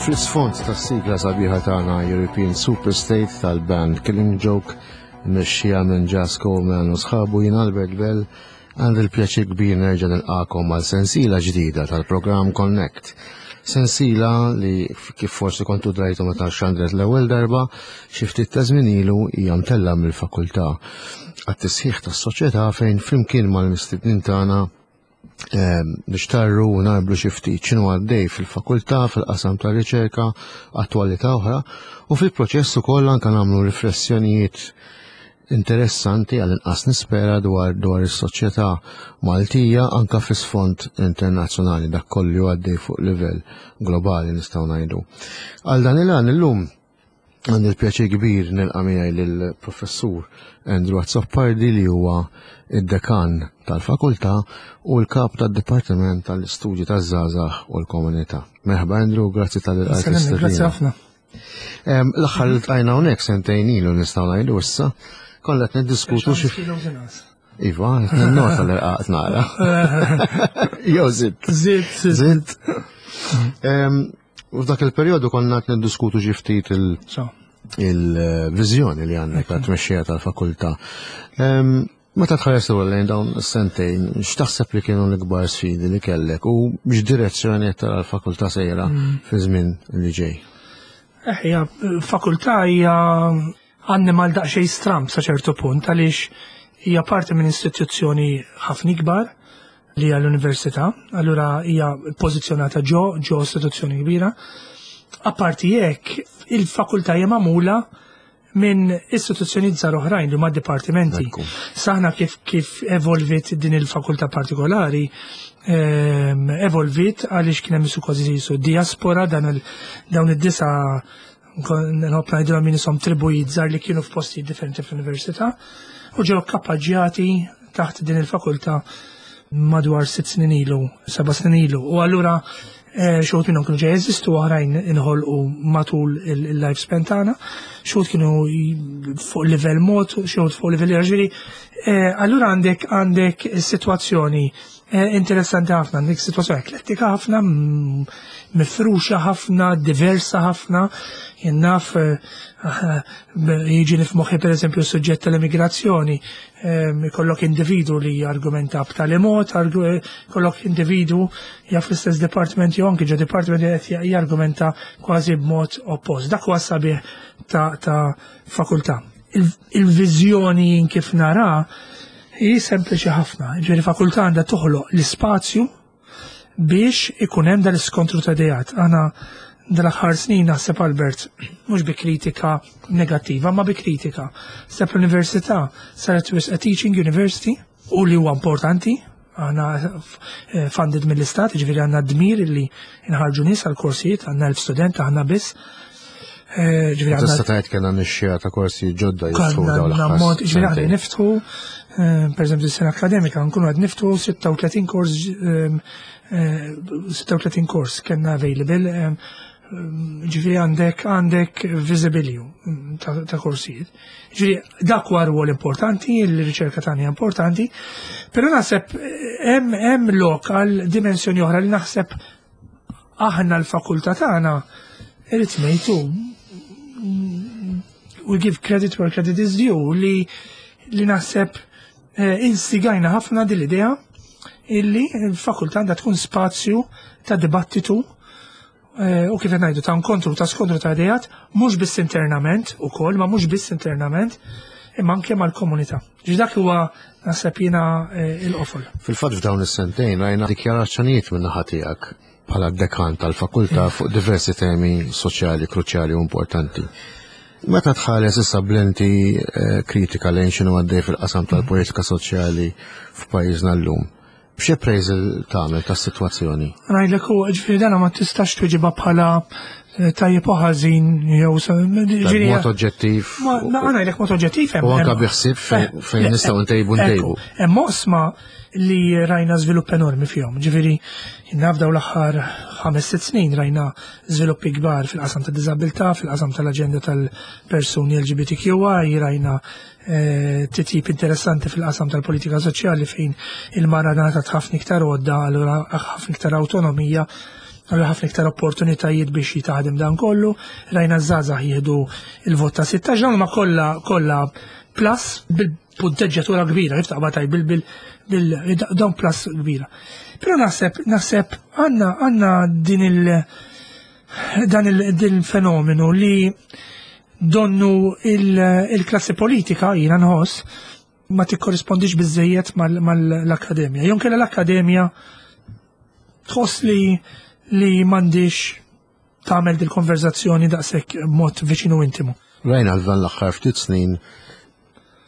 fl-isfond tas-sigla sabiħa tagħna European Superstate tal-band Killing Joke mexxija minn Jazz Coleman u sħabu jien Albert Bell għandi l-pjaċir kbir nerġa' nilqakom għal sensiela ġdida tal-programm Connect. Sensiela li kif forsi kontu drajtu meta xandret l-ewwel darba xi ftit ta' żmien ilu hija mtella mill-fakultà għat-tisħiħ tas-soċjetà fejn flimkien mal-mistednin tagħna Ehm, nixtarru u narblu xi ftit x'inhu għaddej fil-fakultà, fil-qasam ta' riċerka, attwalità oħra, u fil-proċess ukoll anke nagħmlu riflessjonijiet interessanti għal inqas nispera dwar dwar is-soċjetà Maltija anka fl-isfond internazzjonali dak kollu għaddej fuq livell globali nistgħu ngħidu. Għal dan il-għan illum Għandi l-pjaċir kbir nilqa' miegħi lill-Professur Andrew Azzopardi li huwa id-dekan tal-fakultà u l-kap tad-Dipartiment tal-Istudji taż-Żgħażagħ u l-Komunità. Merħba Andrew, grazzi tal-ilqajt. Grazzi ħafna. L-aħħar li tqajna hawnhekk sentejn ilu nistgħu ngħidu issa, kollha qed niddiskutu xi Iva, nota l-irqaqt nara. Jew zitt. Zitt, zitt. U f'dak il-perjodu konna qed niddiskutu xi ftit il-viżjoni li għandek ta' tmexxija tal-fakultà. Meta tħares lura lejn dawn is-sentejn, x'taħseb li kienu l-ikbar sfidi li kellek u x'direzzjoni qed tara l-fakultà sejra mm. fi żmien li ġej? Eh, hija fakultà hija annimal daqsxejn stramb sa ċertu punt għaliex hija parti minn istituzzjoni ħafna ikbar li hija l-università, allura hija pożizzjonata ġo ġo istituzzjoni kbira. Apparti hekk, il-fakultà hija magħmula minn istituzzjoni żgħar oħrajn li huma dipartimenti. Saħna kif kif evolvit din il-fakultà partikolari, ehm, evolvit għaliex kien hemm kważi su diaspora dan dawn id-disa nħobb ngħidilhom min isom tribujiet żgħar li kienu f'postijiet differenti fl-università u ġew kappaġġjati taħt din il-fakultà madwar sitt snin ilu, seba' snin ilu. U allura eh, xogħol minnhom kienu ġej jeżistu oħrajn inħolqu matul il-lifespan tagħna, xogħol kienu fuq livell mod, xogħol fuq livell ġifieri. Eh, allura għandek għandek sitwazzjoni Eh, interessanti ħafna, għandek situazzjoni eklettika ħafna, mifruxa ħafna, diversa ħafna, jennaf eh, jiġi nifmoħi per eżempju suġġett tal-immigrazzjoni, eh, kollok individu li argumenta b'tali mod, kollok individu jaf l-istess department jew anki ġo department qed jargumenta kważi b'mod oppost. Dak huwa sabiħ ta' fakultà. Il-viżjoni kif nara hi sempliċi ħafna. Ġifieri fakultà għandha toħloq l-ispazju biex ikun hemm dan l-iskontru ta' ideat. Aħna dal-aħħar snin naħseb Albert, mhux bi kritika negattiva, ma bi kritika. Seb l-università saret wisq a teaching university u li huwa importanti, aħna eh, funded mill-istat, ġifieri għandna dmir li nħarġu nies għal korsijiet, għandna elf student aħna biss. Eh, ġifieri għandna Tista' tgħid kellna nixxija ta' korsi ġodda jiftħu dawn l-aħħar. Ġifieri aħna niftħu, eh, pereżempju s-sena akademika nkunu qed niftħu 36 kors 36 kors kellna available ġifieri għandek għandek visibilju ta', ta korsijiet. Ġifieri dak huwa rwol importanti, il-riċerka tagħna hija importanti, però naħseb hemm hemm lokal dimensjoni oħra li naħseb aħna l-fakultà tagħna irid ngħidu we give credit where credit is due li li naħseb eh, instigajna ħafna din l-idea illi l-fakultà għandha tkun spazju ta' dibattitu eh, u kif ngħidu ta' nkontru ta' skontru ta' idejat mhux biss internament ukoll, ma mhux biss internament, imma anke mal-komunità. Ġi dak huwa naħseb jiena eh, il-qofol. Fil-fatt f'dawn is-sentejn rajna dikjarazzjonijiet minn naħa tiegħek bħala dekan tal-fakultà fuq diversi temi soċjali kruċjali u importanti. Meta tħares issa b'lenti eh, kritika lejn x'inhu għaddej fil-qasam tal-politika soċjali f'pajjiżna llum, x'appraisal tagħmel tas-sitwazzjoni? Ngħidlek u ġifieri dana ma tistax tweġibha bħala eh, tajjeb u ħażin jew ġifieri mod oġġettiv. Ma ngħidlek mod oġġettiv hemm. U anke biħsib eh, fejn nistgħu ntejbu ntejbu. Hemm oqsma li rajna żvilupp enormi fihom. Ġifieri naf dawn l-aħħar 5-6 snin rajna żviluppi kbar fil-qasam ta' diżabilità, fil-qasam tal-aġenda tal-persuni LGBTQI, rajna eh, titjib interessanti fil-qasam tal-politika soċjali fejn il-mara ngħatat ħafna iktar għodda, allura ħafna iktar awtonomija. Allura ħafna iktar opportunitajiet biex jitaħdem dan kollu, rajna żgħażagħ jieħdu il-vot ta' 16 dawn ma kollha kollha plus bil-punteġġatura kbira, kif taqbad tgħid bil bil bil dawn plus kbira. Però naħseb naħseb għandna għandna din il dan il-fenomenu li donnu il-klassi politika jiena nħoss ma tikkorrispondix biżejjed mal-akkademja. Jew kella l-akkademja tħoss li li m'għandix tagħmel dil-konverzazzjoni daqshekk mod viċinu intimu. Rajna dan l-aħħar ftit snin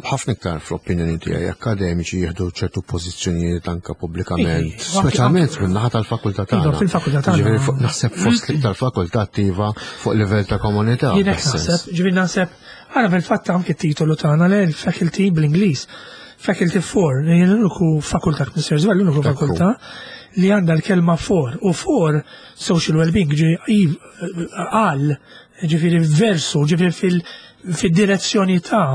ħafna iktar fl-opinjoni tiegħi akkademiċi jieħdu ċertu pożizzjonijiet anke pubblikament, speċjalment minn naħa tal-fakultà tagħna. Iva, fil-fakultà tagħna. Naħseb fost l-iktar fakultà attiva fuq livell ta' komunità. Jien naħseb, ġifieri naħseb, għara fil-fatt anke t-titolu tagħna le l-faculty bl-Ingliż. Faculty 4, l-uniku fakultà knisser żball, l-uniku fakultà li għandha l-kelma for u for social well-being ġi għal ġifieri versu, ġifieri fil-direzzjoni ta'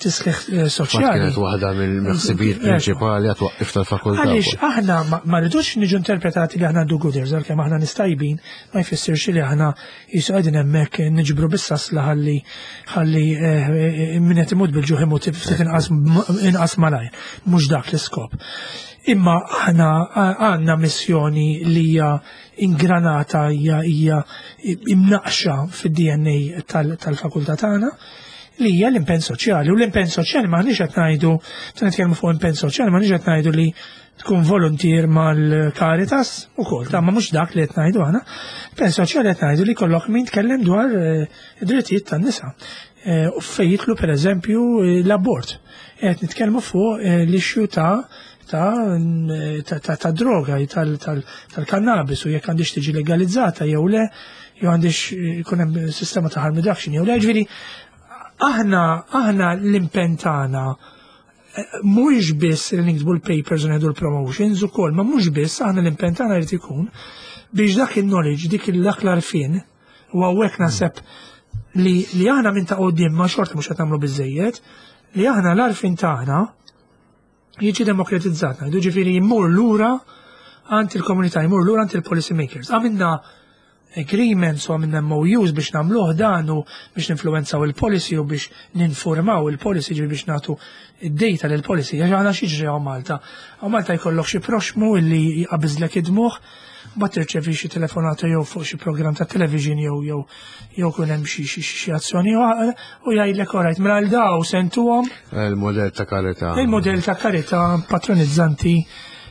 tisħiħ eh, soċjali. Kienet waħda mill-ħsibijiet prinċipali għat-twaqqif tal-fakultà. Għaliex aħna ma rridux niġu interpretati li aħna do-gooders, għalkemm aħna nistajbin, ma jfissirx li aħna jisu qegħdin hemmhekk niġbru bis-sasla ħalli ħalli eh, eh, min qed imut bil-ġuħ imut ftit inqas malajr. Mhux dak l-iskop. Imma aħna għandna missjoni li hija ingranata hija hija imnaqxa fid-DNA tal-fakultà tagħna li hija l-impenn soċjali. U l-impenn soċjali m'aħniex qed ngħidu, meta nitkellmu fuq impenn soċjali m'aħniex qed ngħidu li tkun voluntier mal-Caritas ukoll, ta' ma mhux dak li qed ngħidu aħna. Impenn soċjali qed ngħidu li kollok min tkellem dwar eh, id-drittijiet tan-nisa. Eh, u fejn jidħlu pereżempju l-abort. Qed nitkellmu fuq eh, l-issue ta' ta' ta' ta' droga tal-kannabis u jekk għandix tiġi legalizzata jew le, jew għandix jkun hemm sistema ta' harm reduction jew le, ġifieri aħna aħna l-impenn tagħna eh, mhuwiex biss li niktbu l-papers u nieħdu l-promotions ukoll, ma mhux biss aħna l-impenn tagħna jrid ikun biex dak il-knowledge, dik dak l-arfin, u hawnhekk naħseb li li aħna minn ta' qudiem ma xorta mhux qed nagħmlu biżejjed, li aħna l-arfin tagħna jiġi demokratizzat, ngħidu ġifieri jmur lura għand il-komunità, jmur lura għand il-policy makers. Għamilna agreements u għamilna MOUs biex nagħmluh dan u biex ninfluwenzaw il-policy u biex ninformaw il-policy ġifieri biex nagħtu id-data lil policy għax aħna x'jiġri hawn Malta. Hawn Malta jkollok xi proxmu illi jqabiżlek id-dmugħ, mbagħad tirċevi xi telefonata jew fuq xi programm ta' television jew jew jew kun hemm xi xi xi azzjoni u jgħidlek orajt mela għal daw sentuhom. Il-modell ta' karità. Il-modell ta' karità patronizzanti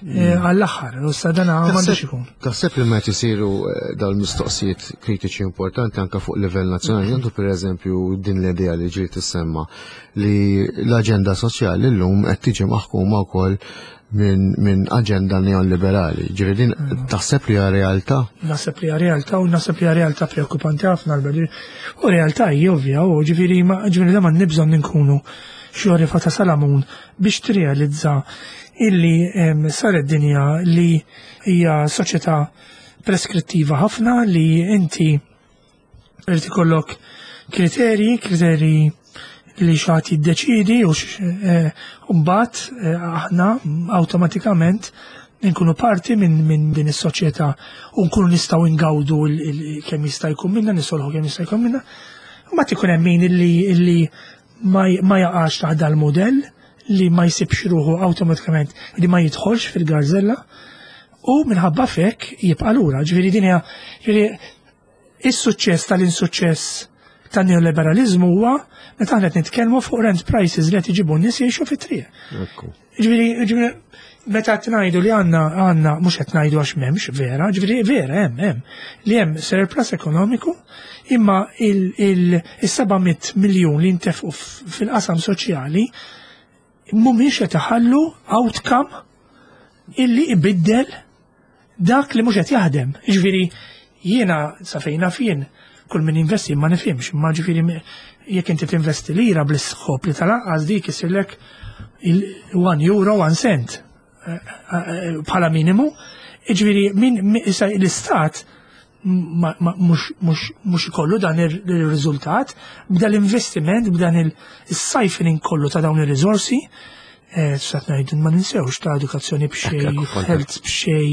eh, għall-aħħar, u sa dan m'għandux ikun. Taħseb li meta jsiru eh, dawn mistoqsijiet kritiċi importanti anke fuq livell nazzjonali, għandu pereżempju din l-idea li ġiet tissemma li l-aġenda soċjali llum qed tiġi maħkuma wkoll minn min aġenda neoliberali. Ġifieri din taħseb li hija realtà? Naħseb li hija realtà u naħseb li hija realtà preokkupanti ħafna Albert. U realtà hija ovvja, u ġifieri ma ġifieri da ma nibżonn nkunu xi għorifa ta' Salamun biex tirrealizza illi saret dinja li hija soċjetà preskrittiva ħafna li inti irid ikollok kriterji, kriterji li xi ħadd jiddeċidi u eh, mbagħad eh, aħna awtomatikament nkunu parti minn min din is-soċjetà u nkunu nistgħu ngawdu kemm jista' jkun minna, nisolħu kemm jista' jkun minna. Mbagħad ikun hemm min illi, illi ma, ma jaqax taħt dal-modell li ma jsibx ruħu awtomatikament li ma jidħolx fil-garzella u minħabba fek jibqa' lura. Ġifieri din hija ġifieri is-suċċess tal-insuċċess tan-neoliberalizmu huwa meta aħna qed nitkellmu fuq rent prices li qed iġibu n-nies jgħixu fit-triq. Ġifieri, ġifieri, meta qed ngħidu li għandna għandna mhux qed ngħidu għax m'hemmx vera, ġifieri vera hemm hemm li hemm surplus ekonomiku imma il-700 miljun li ntefqu fil-qasam soċjali mhumiex qed iħallu outcome illi ibiddel dak li mhux qed jaħdem. Ġifieri jiena sa fejna fien kull min investi ma nifhimx, ma ġifieri jekk inti tinvesti lira bl-iskop li tal-anqas dik isirlek il-1 euro 1 cent eh, eh, bħala minimu. Ġifieri min issa l-istat mhux ikollu dan il-riżultat, b'dan l-investiment, b'dan il-siphoning kollu ta' dawn ir-riżorsi. Sat ngħid ma ninsewx ta' edukazzjoni b'xej, health b'xej,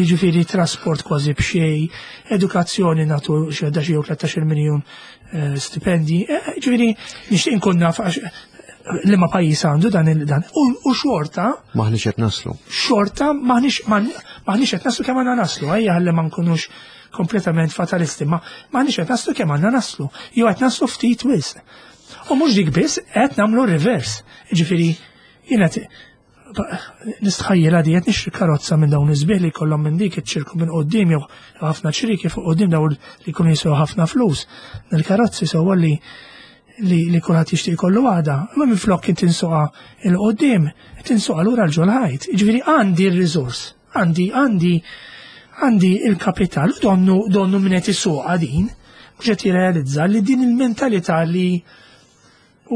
jiġifieri trasport kważi b'xej, edukazzjoni nagħtu xi 11 jew 13 miljun stipendi, jiġifieri nixtieq inkun naf li ma pajjiż għandu dan il-dan. U xorta. Maħniex qed naslu. Xorta maħniex maħniex qed naslu kemm għandna naslu, ejja ħalli ma nkunux kompletament fatalisti, ma maħniex qed naslu kemm għandna naslu. Jew qed naslu ftit wisq. U mhux dik biss, qed nagħmlu reverse. Ġifieri, jiena nistħajjel għadi qed nixtri karozza minn dawn iż-żbieħ li jkollhom minn dik iċ-ċirku minn quddiem jew ħafna ċriki fuq quddiem dawn li jkunu jiswew ħafna flus. Il-karozzi sewwa li li, li kulħadd jixtieq jkollu waħda, imma minflok kien tinsuqa il quddiem, tinsuqa lura l ġol ħajt. Ġifieri għandi r-riżors, għandi għandi għandi il-kapital u donnu donnu minn qed isuqha din, mhux qed jirrealizza li din il-mentalità li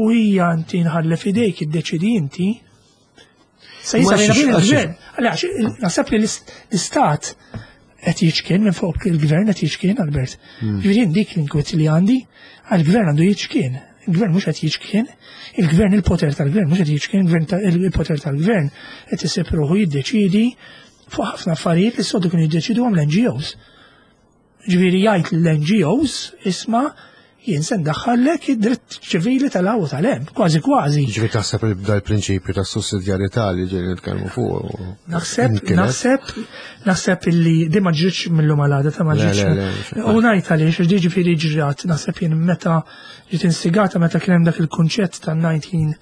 u hija inti nħalli f'idejk iddeċidi inti. Se jisa bejn il-gvern. Għaliex naħseb li l-istat qed jiċkien minn fuq il-gvern qed jiċkien Albert. Ġifieri dik l-inkwiet li għandi, għall-gvern għandu jiċkien. Il-gvern mhux qed jiċkien, il-gvern il-poter tal-gvern mhux qed jiċkien, il-gvern il-poter tal-gvern qed isib ruħu jiddeċidi fuq ħafna affarijiet li s-sodu kienu jiddeċidu għam l-NGOs. Ġifieri jgħid l-NGOs isma' jien se ndaħħallek id-dritt ċivili tal-hawn u tal-hemm, kważi kważi. Ġifieri taħseb li bda l-prinċipju ta' sussidjarjetà li ġejjin nitkellmu fuq. Naħseb, naħseb, naħseb illi di ma ġritx mill-lum għal ta' ma ġritx. U ngħid għaliex, ġifieri ġrat, naħseb jien meta ġiet instigata meta kien hemm dak il-kunċett ta' 19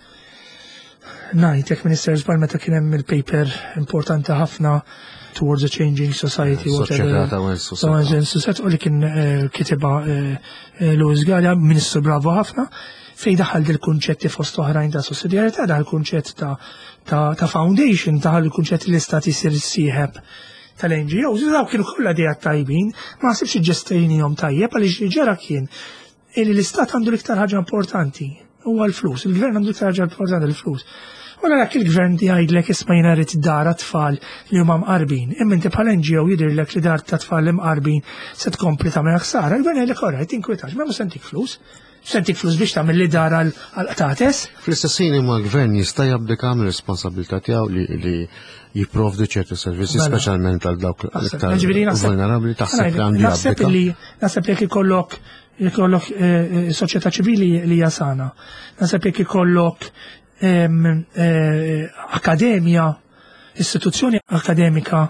Najt, jekk Minister żball meta kien hemm il-paper importanti ħafna towards a changing society, whatever. Society, u li kien kitibha Louis Galea, ministru bravo ħafna, fej daħal dil-kunċetti fost oħrajn ta' sussidjarjetà, daħal kunċett ta' foundation, daħal il-kunċett li l-istat jisir sieħeb tal-NGOs, daw kienu kollha ideat tajbin, ma ħsibx ġestejnihom tajjeb għaliex ġara kien illi l-istat għandu l-iktar ħaġa importanti, huwa l-flus, il-gvern għandu l-iktar ħaġa importanti l-flus. U dak il-gvern jgħidlek isma' jiena rrid dar tfal li huma mqarbin, imma inti bħala NGO jidhirlek li dar ta' tfal li mqarbin se tkompli tagħmel ħsara, il-gvern jgħidlek alright tinkwitax, ma mhux sentik flus. Sentik flus biex tagħmel li dar għal qtates. Fl-istess ħin imma l-gvern jista' jabdika mir-responsabilità tiegħu li jipprovdi ċerti servizzi, Mela. speċjalment għal dawk l-iktar Ġifieri naħseb- vulnerabbli taħseb li għandu Naħseb jabdika. li naħseb jekk ikollok ikollok soċjetà ċivili li hija sana. Naħseb jekk ikollok akademja, istituzzjoni akademika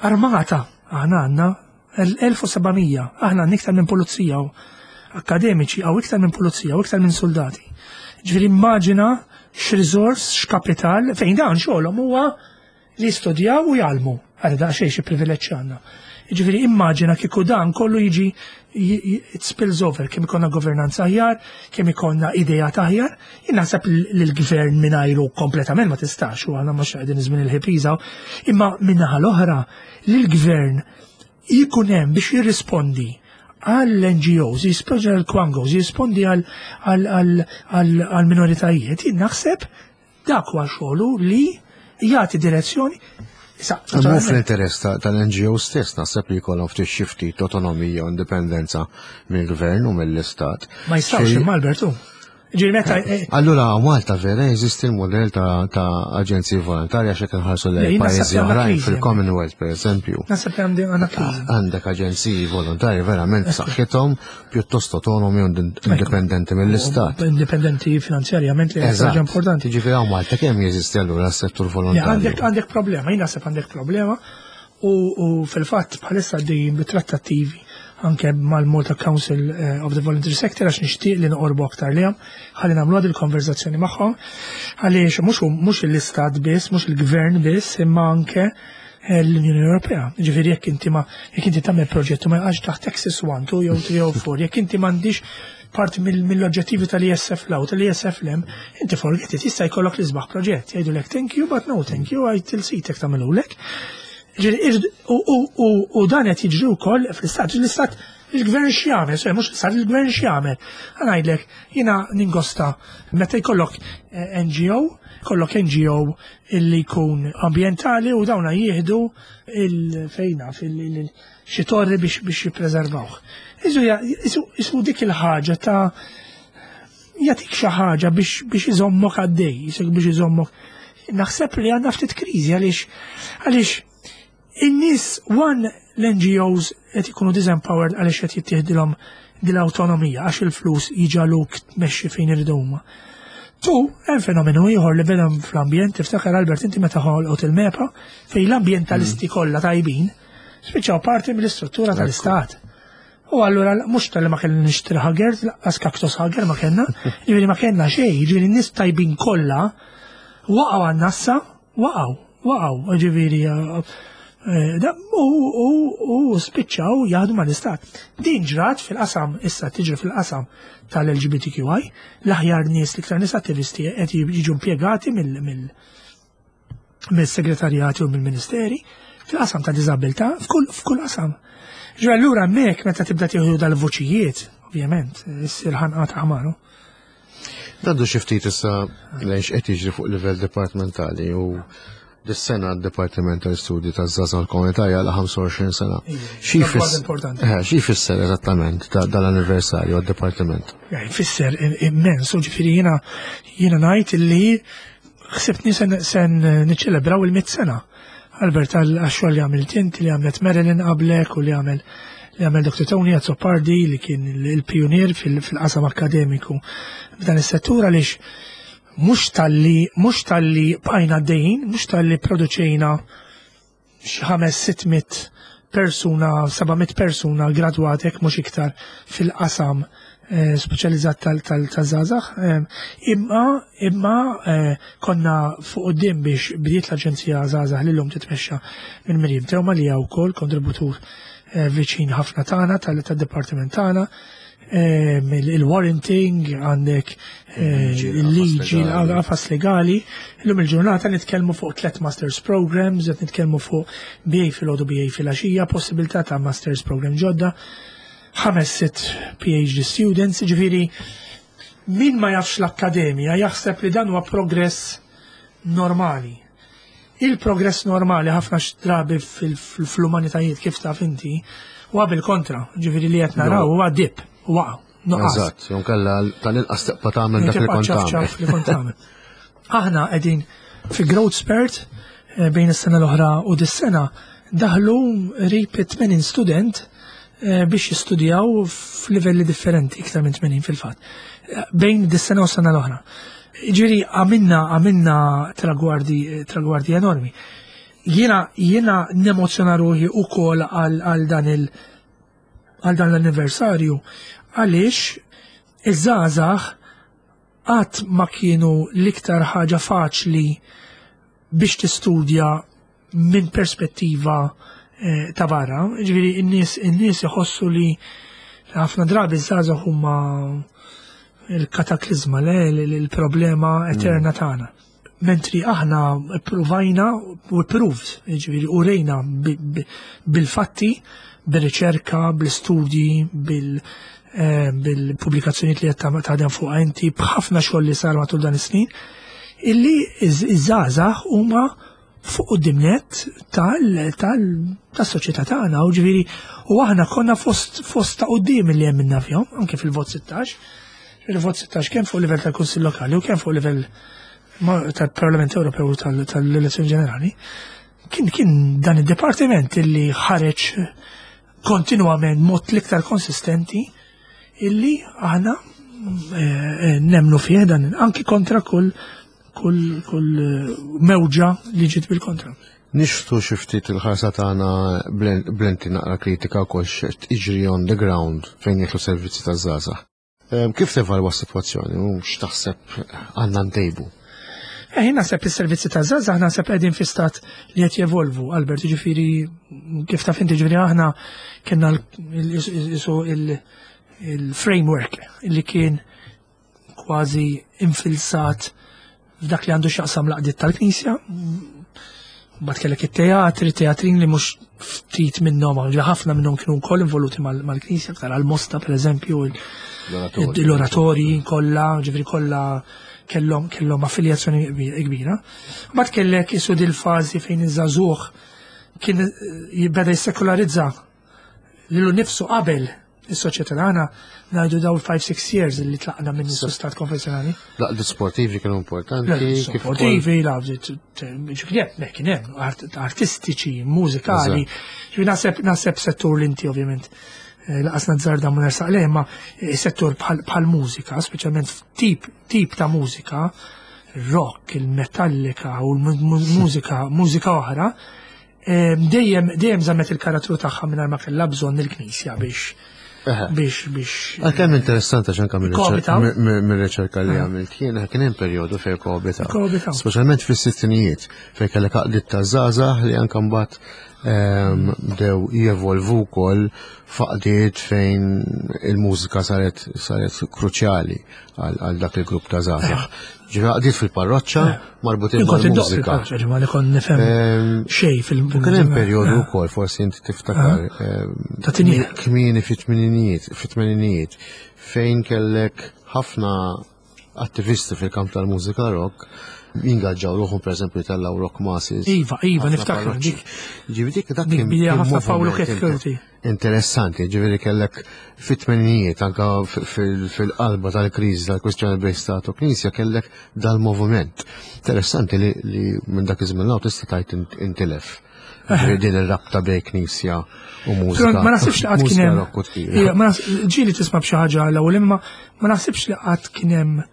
armata, aħna għandna 1700, aħna għandna iktar minn pulizija u akademiċi, għaw iktar minn pulizija, u iktar minn soldati. Ġifieri immaġina x'riżors, x'kapital, fejn dan xogħolhom huwa li jistudjaw u jgħallmu. Għara daqsxejn xi privileġġ għandna. Ġifieri immaġina kieku dan kollu jiġi it spills over, kemm ikollna governanza aħjar, kemm ikollna idea aħjar. Jien naħseb li l-gvern mingħajru kompletament ma tistax, u għandna mhux qegħdin żmien il-ħipiża, imma min-naħa l-oħra li l-gvern jkun hemm biex jirrispondi għall-NGOs, jispondi għall-Kwangos, jirrispondi għall-minoritajiet, jien naħseb dak huwa xogħlu li jagħti direzzjoni. Issa, Mhu naturalment- fl-interess tal-NGO stess, naħseb li jkollhom ftit xi ftit autonomija u indipendenza mill-gvern u mill-istat. Ma jistgħux imma Albertu. Ġifieri meta Allura Malta vera jeżisti l-modell ta' aġenziji volontarja x'hekk inħarsu lejn Le, jien naħseb pajjiżi li għandna oħrajn kriżi. fil-Commonwealth pereżempju. Naħseb li għandi għandna kriżi. Għandek aġenziji volontarji verament b'saħħithom, pjuttost autonomi u indipendenti mill-istat. Indipendenti finanzjarjament li hija ħaġa importanti. Ġifieri hawn Malta kemm jeżisti allura s-settur Le, volontarju? Għandek problema, jien naħseb għandek problema u fil-fatt bħalissa għaddejjin bit-trattattivi anke mal-Malta Council of the Voluntary Sector għax nixtieq li noqorbu aktar lejhom, ħalli nagħmlu għad il-konverzazzjoni magħhom, għaliex mhux l-istat biss, mhux il-gvern biss, imma anke l-Unjoni Ewropea. Ġifieri jekk inti ma jekk inti tagħmel proġett u ma jaqax taħt Axis 1, 2 jew 3 jew 4, jekk inti m'għandix parti mill-oġġettivi tal-ISF l tal-ISF l inti forget it, jista' jkollok l-isbaħ proġett. Jgħidulek thank you, but no thank you, għajt il-sitek tagħmilulek. Ġifieri, u dan qed jiġri wkoll fl-istat. L-istat, il-gvern x'jagħmel, sorry, mhux l-istat, il-gvern x'jagħmel. Ħa ngħidlek, jiena ningosta meta jkollok NGO, kollok NGO illi jkun ambjentali u dawna jieħdu il-fejna xi torri biex jippreservawh. Isu dik il-ħaġa ta' Jagħtik xi ħaġa biex iżommok għaddej, jisek biex iżommok. Naħseb li għandna ftit kriżi għaliex in-nies one l-NGOs qed ikunu disempowered għaliex qed jittieħdilhom dil-awtonomija għax il-flus jiġaluk tmexxi fejn iridu huma. Tu, hemm fenomenu ieħor li beda fl-ambjent, tiftakar Albert inti meta ħolqot il-MEPA fejn l-ambjentalisti kollha tajbin spiċċaw parti mill-istruttura tal-istat. U allura mhux tal-li ma kellna nixtri ħager, laqqas kaktus ħager ma kellna, jiġifieri ma kellna xejn, jiġifieri n-nies tajbin kollha waqgħu għan-nassa, waqgħu, waqgħu, jiġifieri u spiċċaw jaħdmu mal-istat. Din ġrat fil-qasam, issa tiġri fil-qasam tal-LGBTQI, l-aħjar nies l-iktar nies attivisti qed jiġu impjegati mill-segretarjati u mill-ministeri fil-qasam ta' diżabilità f'kull qasam. Ġo allura hemmhekk meta tibda tieħdu dal-vuċijiet, ovvjament, issir ħanqa ta' ħmaru. Ngħaddu xi ftit issa lejn x'qed jiġri fuq livell dipartimentali u dis-sena d-Dipartiment tal-Istudji taż-Żgħażagħ l-Komunità jagħlaq 25 sena. Xi jfisser eżattament dal-anniversarju għad-Dipartiment? Jfisser immens, u ġifieri jiena jiena ngħid li ħsibtni sen niċċelebraw il-100 sena. Albert, għax-xogħol li għamilt inti, li għamlet Marilyn qablek u li għamel li għamel Dr. Tony Azzopardi li kien il-pionier fil-qasam akademiku f'dan is-settur għaliex mhux talli mhux talli bqajna għaddejjin, mhux talli produċejna xi 500-600 persuna, 700 persuna gradwatek mhux iktar fil-qasam speċjalizzat tal-żgħażagħ. Imma imma konna fuq quddiem biex bdiet l-Aġenzija Żgħażagħ li llum titmexxa minn Miriam Teuma li hija wkoll kontributur viċin ħafna tagħna tad-dipartiment tagħna. Il-warranting, għandek il-liġi, l-qafas legali. Illum il-ġurnata nitkellmu fuq tlet masters programs, qed nitkellmu fuq BA fil-għodu, BA fil-għaxija, possibilità ta' masters program ġodda, 5-6 PhD students, ġifieri min ma jafx l-akkademja jaħseb li dan huwa progress normali. Il-progress normali ħafna drabi fl-umanitajiet kif taf inti huwa bil-kontra, ġifieri li qed naraw huwa dip, waqa', nuqqas. Eżatt, jew kella tal-inqas tibqa' tagħmel dak li kont tagħmel. Aħna qegħdin fi growth spurt bejn is-sena l-oħra u dis-sena daħlu qrib 80 student biex jistudjaw f'livelli differenti, iktar minn 80 fil-fatt, bejn dis-sena u s-sena l-oħra. Ġifieri għamilna tragwardi enormi. Jiena nemozzjona ruħi ukoll għal dan il għal dan l-anniversarju għaliex iż-żgħażagħ qatt ma kienu l-iktar ħaġa faċli biex tistudja minn perspettiva ta' barra. Ġifieri in-nies iħossu li ħafna drabi ż-żgħażagħ huma il-kataklizma, le, il-problema eterna tagħna. Mentri aħna ppruvajna u proved, ġifieri u rejna bil-fatti, bil-riċerka, bl-istudji, bil-pubblikazzjonijiet li qed taħdem fuq inti, b'ħafna xogħol li sar matul dan is-snin, illi iż-żgħażagħ huma fuq quddiem nett tas-soċjetà tagħna, u ġifieri u aħna konna fost ta' quddiem li hemm minna fihom, anke fil-vot 16. Il-vot 16 kemm fuq livell tal-Kunsill Lokali u kemm fuq livell tal-Parlament Ewropew tal-Elezzjoni Ġenerali, kien dan id-dipartiment illi ħareġ kontinwament mod l-iktar konsistenti illi aħna nemnu fih dan anki kontra kull mewġa li ġiet bil-kontra. Nixtu xi ftit il-ħarsa tagħna blenti naqra kritika wkoll x'qed jiġri on the ground fejn jidħlu servizzi taż-żgħażagħ. Kif tevalwa s-sitwazzjoni u x'taħseb għandna ntejbu? Jien naħseb is-servizzi taż-żgħażagħ naħseb qegħdin fi stat li qed jevolvu, Albert, ġifieri kif taf inti, ġifieri aħna kellna il-framework li kien kważi infilsat f'dak li għandu x'jaqsam l-għaqdiet tal-Knisja. Mbagħad kellek it-teatri, teatrin li mhux ftit minnhom, li ħafna minnhom kienu wkoll involuti mal-Knisja, aktar għal-Mosta pereżempju, l-oratorji kollha, ġifieri kollha kellhom affiljazzjoni kbira. Mbagħad kellek isu dil-fażi fejn iż-żagħżugħ kien jibda jissekularizza lilu nifsu qabel. Is-soċjetà tagħna ngħidu daw 5-6 years li tlaqna minn stat konfessjonali. L-għaqdiet sportivi kienu importanti. Sportivi, l-għaqdiet ġifieri kien hemm artistiċi, mużikali. Naħseb naħseb settur li inti ovvjament eh, laqas nazzarda ma nersaq lejh, ma eh, settur bħal mużika, speċjalment tip tip ta' mużika, rock, il-metallika u l-mużika, mużika oħra, dejjem dejjem żammet il-karattru tagħha mingħajr ma kellha bżonn il-Knisja biex biex biex. Għalkemm interessanti għax anke mir-riċerka li għamilt jien kien hemm perjodu fejn koabitaw. Speċjalment fis-sittinijiet fejn kellek għaqdiet ta' żgħażagħ li anke mbagħad bdew jevolvu wkoll f'għaqdiet fejn il-mużika saret saret kruċjali għal dak il-grupp ta' żgħażagħ. Ġifieri għaqdiet fil-parroċċa marbutin mal-mużika. Ġifieri li kont nifhem xejn fil Kien hemm perjodu wkoll forsi inti tiftakar Ta' tinjiet. kmieni fit-tmeninijiet, fit-tmeninijiet fejn kellek ħafna attivisti fil-kamp tal-mużika rock jingaġġaw ruħhom pereżempju jtellaw rock masses. Iva, iva, niftakar dik. Ġifieri dik dak Dik kien bija kien ħafna Paolo moviment Kekkerti. interessanti, ġifieri kellek fit-tmeninijiet anka fil-qalba tal-kriżi tal-kwistjoni bejn stat u knisja kellek dal-moviment. Interessanti li, li minn dak iż-żmien law tista' tgħid intilef. Ġifieri din ir-rabta bejn knisja u mużika. Ma naħsibx li qatt kien Mużika hemm. rock u tqila. Ija, ma Ġieli tisma' b'xi ħaġa l-ewwel imma ma naħsibx li qatt kien hemm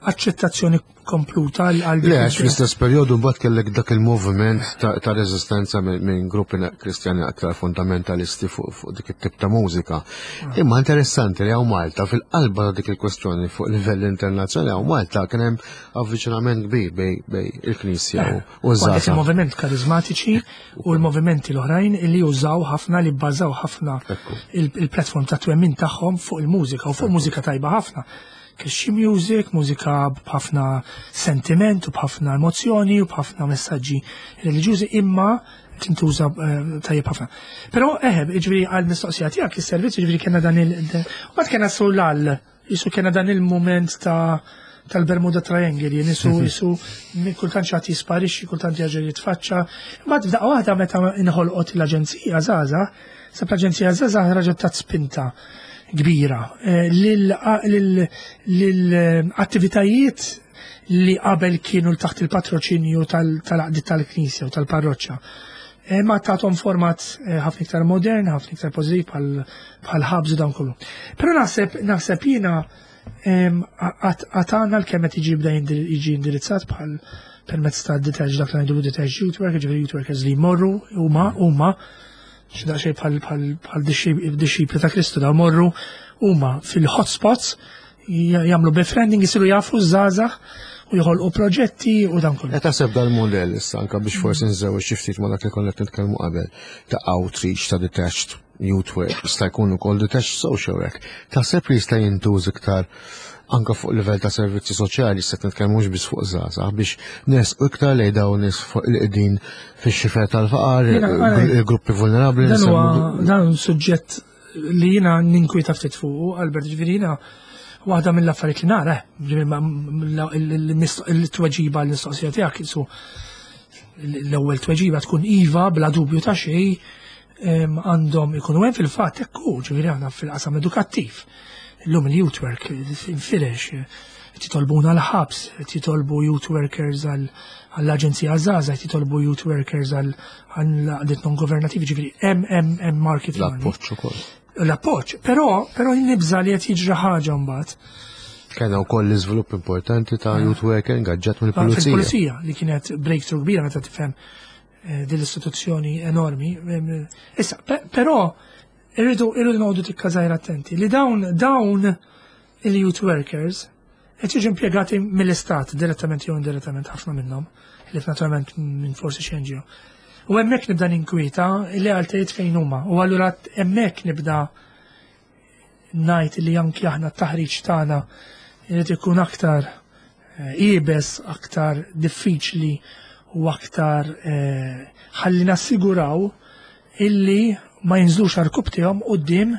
aċċettazzjoni kompluta għal Le, għax fl-istess perjodu mbagħad kellek dak il-moviment ta' reżistenza minn gruppi kristjani aktar fundamentalisti fuq dik it-tip ta' mużika. Ah. Imma interessanti li hawn Malta fil-qalba ta' dik il-kwestjoni fuq livell internazzjonali hawn Malta kien hemm avviċinament kbir bej il-Knisja u eh, żgħażagħ. Il-moviment karizmatiċi u l-movimenti l-oħrajn li użaw ħafna li bbażaw ħafna il-platform ta' twemmin tagħhom fuq il-mużika u fuq mużika tajba ħafna. Christian music, mużika b'ħafna sentiment u b'ħafna emozzjoni u b'ħafna messaġġi reliġjużi imma tintuża eh, tajjeb ħafna. Però eħe, eh, ġifieri għal mistoqsija tiegħek is-servizz ġifieri kellna dan il Mbagħad kellna sulal, jisu kellna dan il-mument ta' tal-Bermuda Triangle, jien isu isu kultant xi jisparixxi, kultant jerġa' jitfaċċa. Mbagħad f'daqqa waħda meta inħolqot l-Aġenzija Żgħażagħ, sab l-Aġenzija Żgħażagħ raġgħet tat spinta kbira eh, lill-attivitajiet li qabel kienu taħt il-patroċinju tal-għaqdiet tal-Knisja u tal-parroċċa. Eh, ma tatom format eh, ħafna iktar modern, ħafna iktar pożittiv bħal ħabs u dan kollu. Però naħseb naħseb jiena għatana l-kemm qed jiġi bda jiġi indirizzat bħal permezz ta' detached dak li ngħidu detached youth worker, ġifieri youth workers li jmorru huma huma xi daqsxejn bħal bħal dixxipli ta' Kristu da morru huma fil-hotspots jagħmlu befriending jisiru jafu żgħażagħ u joħolqu proġetti u dan kollu. Qed taħseb dal-modell issa anke biex forsi nżewweġ xi ftit ma' dak li konna qed nitkellmu qabel ta' outreach ta' detached youth work, jista' jkun ukoll detached social work. Taħseb li jista' jintuż iktar anka fuq livell ta' servizzi soċjali, se nitkellmu mhux biss fuq żgħażagħ biex nersqu iktar lejn dawn nies fuq li qegħdin fix-xifer tal-faqar, il-gruppi vulnerabbli. Dan huwa dan suġġett li jiena ninkwita ftit fuq, Albert, ġifieri jiena waħda mill-affarijiet li nara, il-tweġiba l-mistoqsija tiegħek isu l-ewwel tweġiba tkun iva bla dubju ta' xejn għandhom ikunu hemm fil-fatt hekk hu, ġifieri aħna fil-qasam edukattiv. Illum il-youth work infirex, titolbuna l-ħabs, titolbu youth workers għall-Aġenzija Żgħażagħ, titolbu youth workers għall-għaqdiet non governativi, ġifieri hemm hemm hemm market. L-appoġġ ukoll. L-appoġġ, però però nibża li qed jiġri ħaġa mbagħad. Kellna wkoll l-iżvilupp importanti ta' youth worker ingaġġat mill-pulizija. Fil-pulizija li kienet breakthrough kbira meta tifhem eh, din l-istituzzjoni enormi. Issa, però irridu irridu noqogħdu tikka żgħira attenti li dawn dawn il-youth workers qed jiġu impjegati mill-istat direttament jew indirettament ħafna minnhom, li naturalment minn forsi xi NGO. U hemmhekk nibda ninkwieta li għaltejt fejn huma. U allura hemmhekk nibda ngħid li anki aħna t-taħriġ tagħna jrid ikun aktar eh, iebes, aktar diffiċli u aktar eh, ħalli nassiguraw illi ma jinżlux għarkub tiegħhom quddiem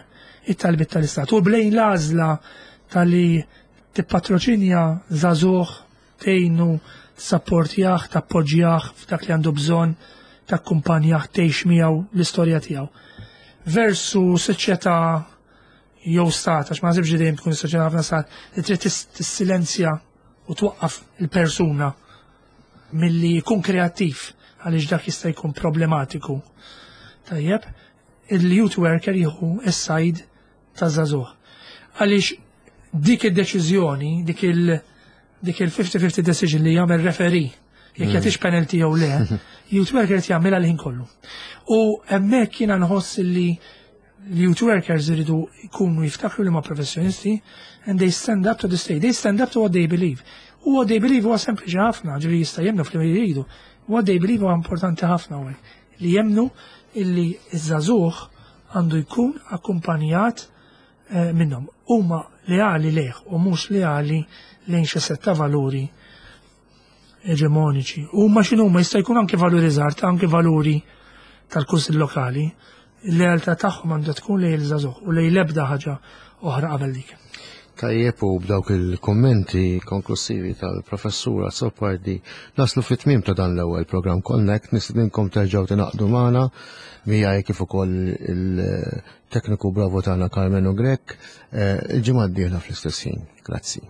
it-talbiet tal-istat. U blejn l-għażla tal-li tippatroċinja żagħżugħ, tgħinu, tsapportjah, tappoġġjah f'dak li għandu bżonn, takkumpanjah, tgħix miegħu l-istorja tiegħu. Versu soċjetà jew stat, għax ma naħsibx li dejjem tkun soċjetà ħafna stat, li trid tissilenzja u twaqqaf il-persuna milli jkun kreattiv għaliex dak jista' jkun problematiku. Tajjeb, il-youth worker jieħu s-side taż-żagħżugħ. Għaliex dik id-deċiżjoni, dik il- dik il-50-50 decision li jagħmel referee jekk jagħtix penalty jew le, youth worker qed jagħmilha l-ħin kollu. U hemmhekk jiena nħoss li l-youth workers iridu jkunu jiftakru li ma professjonisti and they stand up to the state, they stand up to what they believe. U what they believe huwa sempliċi ħafna, ġifieri jista' jemmnu f'li jridu. What they believe huwa importanti ħafna hawnhekk. Li jemmnu illi iż-żagħżugħ għandu jkun akkumpanjat minnhom. Huma leali lejh u mhux leali lejn xi setta valuri eġemoniċi. Huma x'inhuma jista' jkun anke valuri żgħar, anke valuri tal-kunsill lokali. Il-lealtà tagħhom għandha tkun lejn il-żagħżugħ u lejn l-ebda ħaġa oħra qabel dik. Tajjeb, u b'dawk il-kommenti konklusivi tal-professur Azzopardi naslu fit-tmiem ta' dan l-ewwel programm Connect. Nistedinkom terġgħu tingħaqdu magħna miegħi kif ukoll il-tekniku bravo tagħna Carmenu Grech il-ġimgħa d-dieħla fl-istess ħin. Grazzi.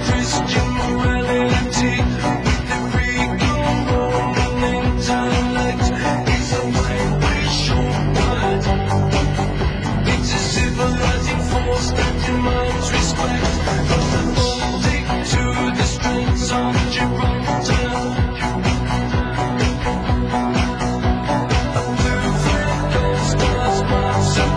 Christian morality with the Greco-Roman intellect is a whitewish word. It's a civilizing force that demands respect. From the Baltic to the Straits of Gibraltar. A blue flag, gold stars, marks of